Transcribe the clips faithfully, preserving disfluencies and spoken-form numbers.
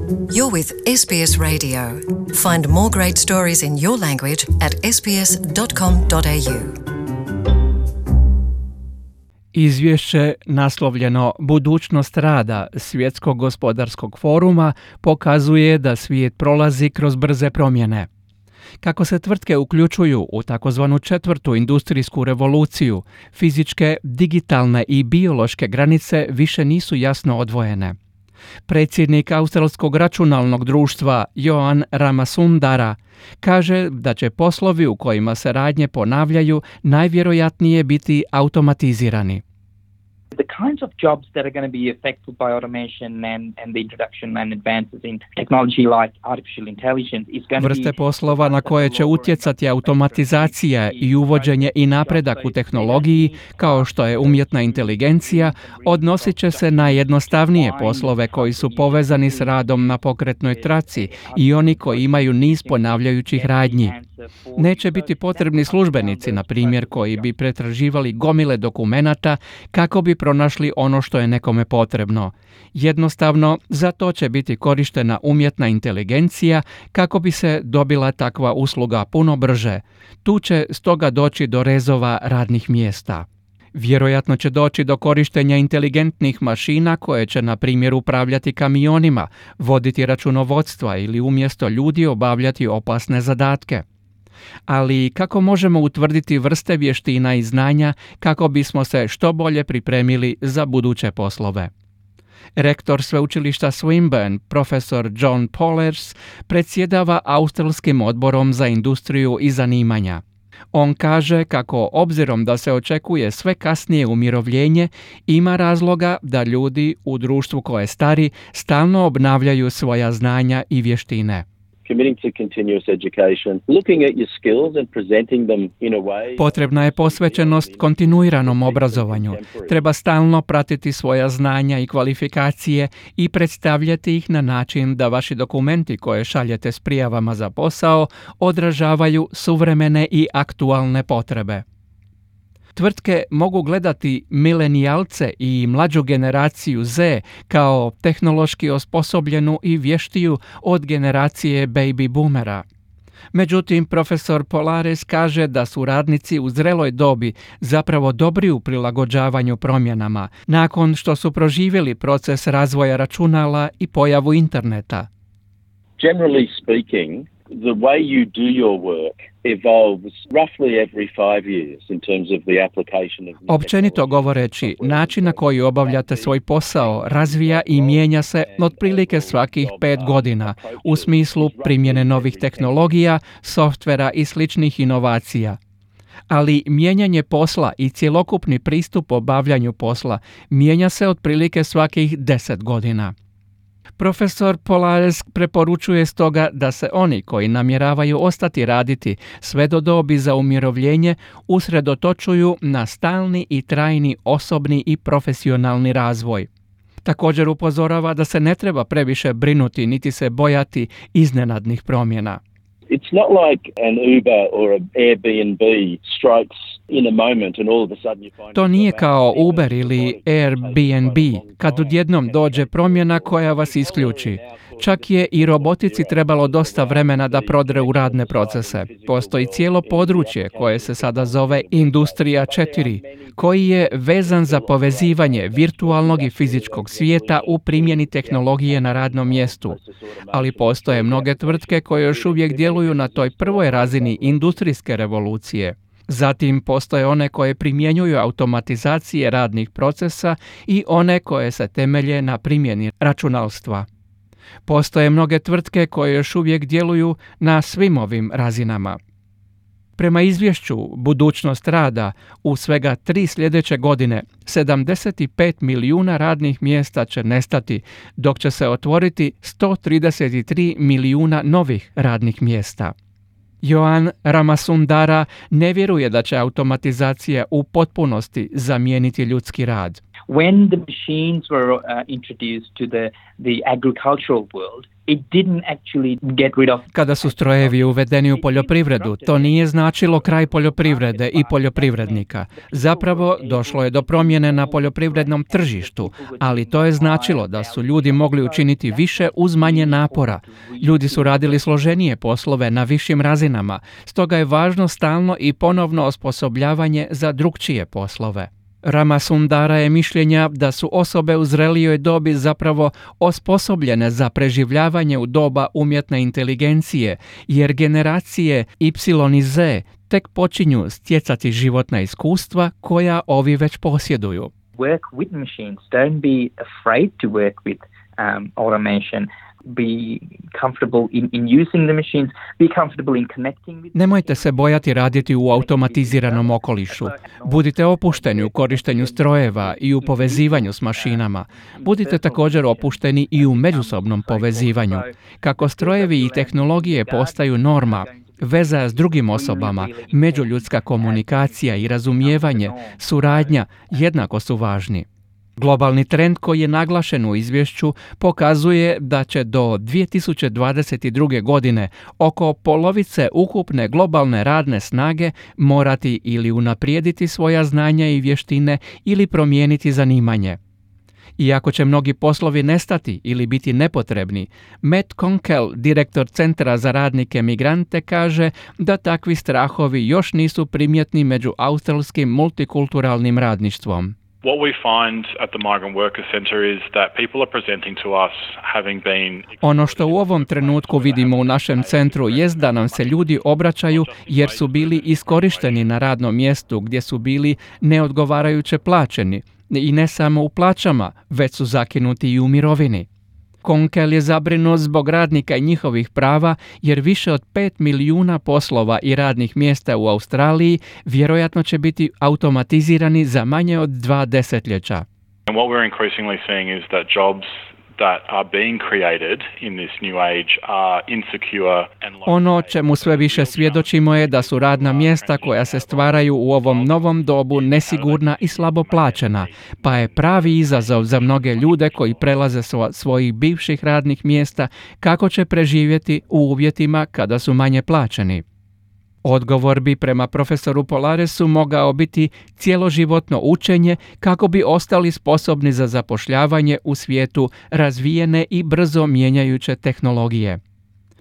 You're with S B S Radio. Find more great stories in your language at s b s dot com dot a u. Izvješće naslovljeno Budućnost rada Svjetskog gospodarskog foruma pokazuje da svijet prolazi kroz brze promjene. Kako se tvrtke uključuju u takozvanu četvrtu industrijsku revoluciju, fizičke, digitalne i biološke granice više nisu jasno odvojene. Predsjednik Australskog računalnog društva Joan Ramasundara kaže da će poslovi u kojima se radnje ponavljaju najvjerojatnije biti automatizirani. The kinds of jobs that are going to be affected by automation and, and the introduction and advances in technology like artificial intelligence is going to be... Vrste poslova na koje će utjecati automatizacija i uvođenje i napredak u tehnologiji, kao što je umjetna inteligencija, odnosit će se na jednostavnije poslove koji su povezani s radom na pokretnoj traci i oni koji imaju niz ponavljajućih radnji. Neće biti potrebni službenici, na primjer, koji bi pretraživali gomile dokumenata kako bi pronašli ono što je nekome potrebno. Jednostavno, za to će biti korištena umjetna inteligencija kako bi se dobila takva usluga puno brže. Tu će stoga doći do rezova radnih mjesta. Vjerojatno će doći do korištenja inteligentnih mašina koje će, na primjer, upravljati kamionima, voditi računovodstva ili umjesto ljudi obavljati opasne zadatke. Ali kako možemo utvrditi vrste vještina i znanja kako bismo se što bolje pripremili za buduće poslove? Rektor sveučilišta Swinburne, profesor John Pollers, predsjedava Australskim odborom za industriju i zanimanja. On kaže kako, obzirom da se očekuje sve kasnije umirovljenje, ima razloga da ljudi u društvu koje stari stalno obnavljaju svoja znanja i vještine. Potrebna je posvećenost kontinuiranom obrazovanju. Treba stalno pratiti svoja znanja i kvalifikacije i predstavljati ih na način da vaši dokumenti koje šaljete s prijavama za posao odražavaju suvremene i aktualne potrebe. Tvrtke mogu gledati milenijalce i mlađu generaciju Z kao tehnološki osposobljenu i vještiju od generacije baby boomera. Međutim, profesor Polares kaže da su radnici u zreloj dobi zapravo dobri u prilagođavanju promjenama, nakon što su proživjeli proces razvoja računala i pojavu interneta. Generally speaking, the way you do your work evolves roughly every five years in terms of the application of... Općenito govoreći, način na koji obavljate svoj posao razvija i mijenja se otprilike svakih pet godina u smislu primjene novih tehnologija, softvera i sličnih inovacija. Ali mijenjanje posla i cjelokupni pristup obavljanju posla mijenja se otprilike svakih deset godina. Profesor Polares preporučuje stoga da se oni koji namjeravaju ostati raditi sve do dobi za umirovljenje usredotočuju na stalni i trajni osobni i profesionalni razvoj. Također upozorava da se ne treba previše brinuti niti se bojati iznenadnih promjena. It's not like an Uber or an Airbnb strikes in a moment and all of a sudden you find... To nije kao Uber ili Airbnb, kad odjednom dođe promjena koja vas isključi. Čak je i robotici trebalo dosta vremena da prodre u radne procese. Postoji cijelo područje koje se sada zove Industrija četiri, koji je vezan za povezivanje virtualnog i fizičkog svijeta u primjeni tehnologije na radnom mjestu. Ali postoje mnoge tvrtke koje još uvijek djeluju na toj prvoj razini industrijske revolucije. Zatim postoje one koje primjenjuju automatizacije radnih procesa i one koje se temelje na primjeni računalstva. Postoje mnoge tvrtke koje još uvijek djeluju na svim ovim razinama. Prema izvješću Budućnost rada, u svega tri sljedeće godine sedamdeset pet milijuna radnih mjesta će nestati, dok će se otvoriti sto trideset tri milijuna novih radnih mjesta. Joan Ramasundara ne vjeruje da će automatizacija u potpunosti zamijeniti ljudski rad. When the machines were uh, introduced to the, the agricultural world, it didn't actually get rid of... Kada su strojevi uvedeni u poljoprivredu, to nije značilo kraj poljoprivrede i poljoprivrednika. Zapravo, došlo je do promjene na poljoprivrednom tržištu, ali to je značilo da su ljudi mogli učiniti više uz manje napora. Ljudi su radili složenije poslove na višim razinama, stoga je važno stalno i ponovno osposobljavanje za drukčije poslove. Ramasundara je mišljenja da su osobe u zrelijoj dobi zapravo osposobljene za preživljavanje u doba umjetne inteligencije, jer generacije Y i Z tek počinju stjecati životna iskustva koja ovi već posjeduju. Work with machines. Don't be afraid to work with um, automation. Be comfortable in, in using the machines, be comfortable in connecting with... Nemojte se bojati raditi u automatiziranom okolišu. Budite opušteni u korištenju strojeva i u povezivanju s mašinama. Budite također opušteni i u međusobnom povezivanju. Kako strojevi i tehnologije postaju norma, veza s drugim osobama, međuljudska komunikacija i razumijevanje, suradnja jednako su važni. Globalni trend koji je naglašen u izvješću pokazuje da će do dvije tisuće dvadeset druge. godine oko polovice ukupne globalne radne snage morati ili unaprijediti svoja znanja i vještine ili promijeniti zanimanje. Iako će mnogi poslovi nestati ili biti nepotrebni, Matt Konkel, direktor Centra za radnike migrante, kaže da takvi strahovi još nisu primjetni među australskim multikulturalnim radništvom. What we find at the Migrant Worker Centre is that people are presenting to us having been... Ono što u ovom trenutku vidimo u našem centru jest da nam se ljudi obraćaju jer su bili iskorišteni na radnom mjestu gdje su bili neodgovarajuće plaćeni. I ne samo u plaćama, već su zakinuti i u mirovini. Konkel je zabrinut zbog radnika i njihovih prava jer više od pet milijuna poslova i radnih mjesta u Australiji vjerojatno će biti automatizirani za manje od dva desetljeća. And what we're increasingly seeing is that jobs that are being created in this new age are insecure and low. Ono čemu sve više svjedočimo je da su radna mjesta koja se stvaraju u ovom novom dobu nesigurna i slabo plaćena, pa je pravi izazov za mnoge ljude koji prelaze svo, svojih bivših radnih mjesta kako će preživjeti u uvjetima kada su manje plaćeni. Odgovor bi prema profesoru Polaresu mogao biti cjeloživotno učenje kako bi ostali sposobni za zapošljavanje u svijetu razvijene i brzo mijenjajuće tehnologije.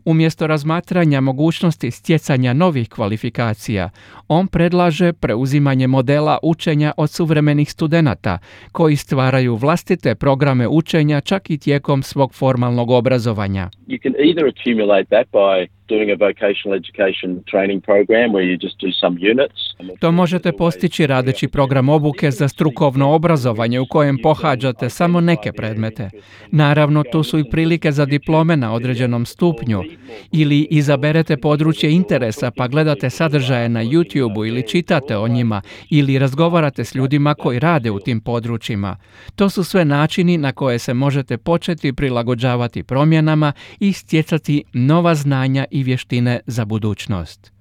Umjesto razmatranja mogućnosti stjecanja novih kvalifikacija, on predlaže preuzimanje modela učenja od suvremenih studenata, koji stvaraju vlastite programe učenja čak i tijekom svog formalnog obrazovanja. You can either accumulate that by doing a vocational education training program where you just do some units. To možete postići radeći program obuke za strukovno obrazovanje u kojem pohađate samo neke predmete. Naravno, tu su i prilike za diplome na određenom stupnju. Ili izaberete područje interesa pa gledate sadržaje na YouTubeu ili čitate o njima ili razgovarate s ljudima koji rade u tim područjima. To su sve načini na koje se možete početi prilagođavati promjenama i stjecati nova znanja i vještine za budućnost.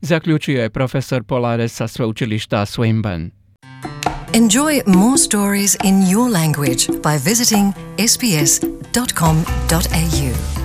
Zaključio je profesor Polares sa sveučilišta Swinburne. Enjoy more stories in your language by visiting s b s dot com dot a u.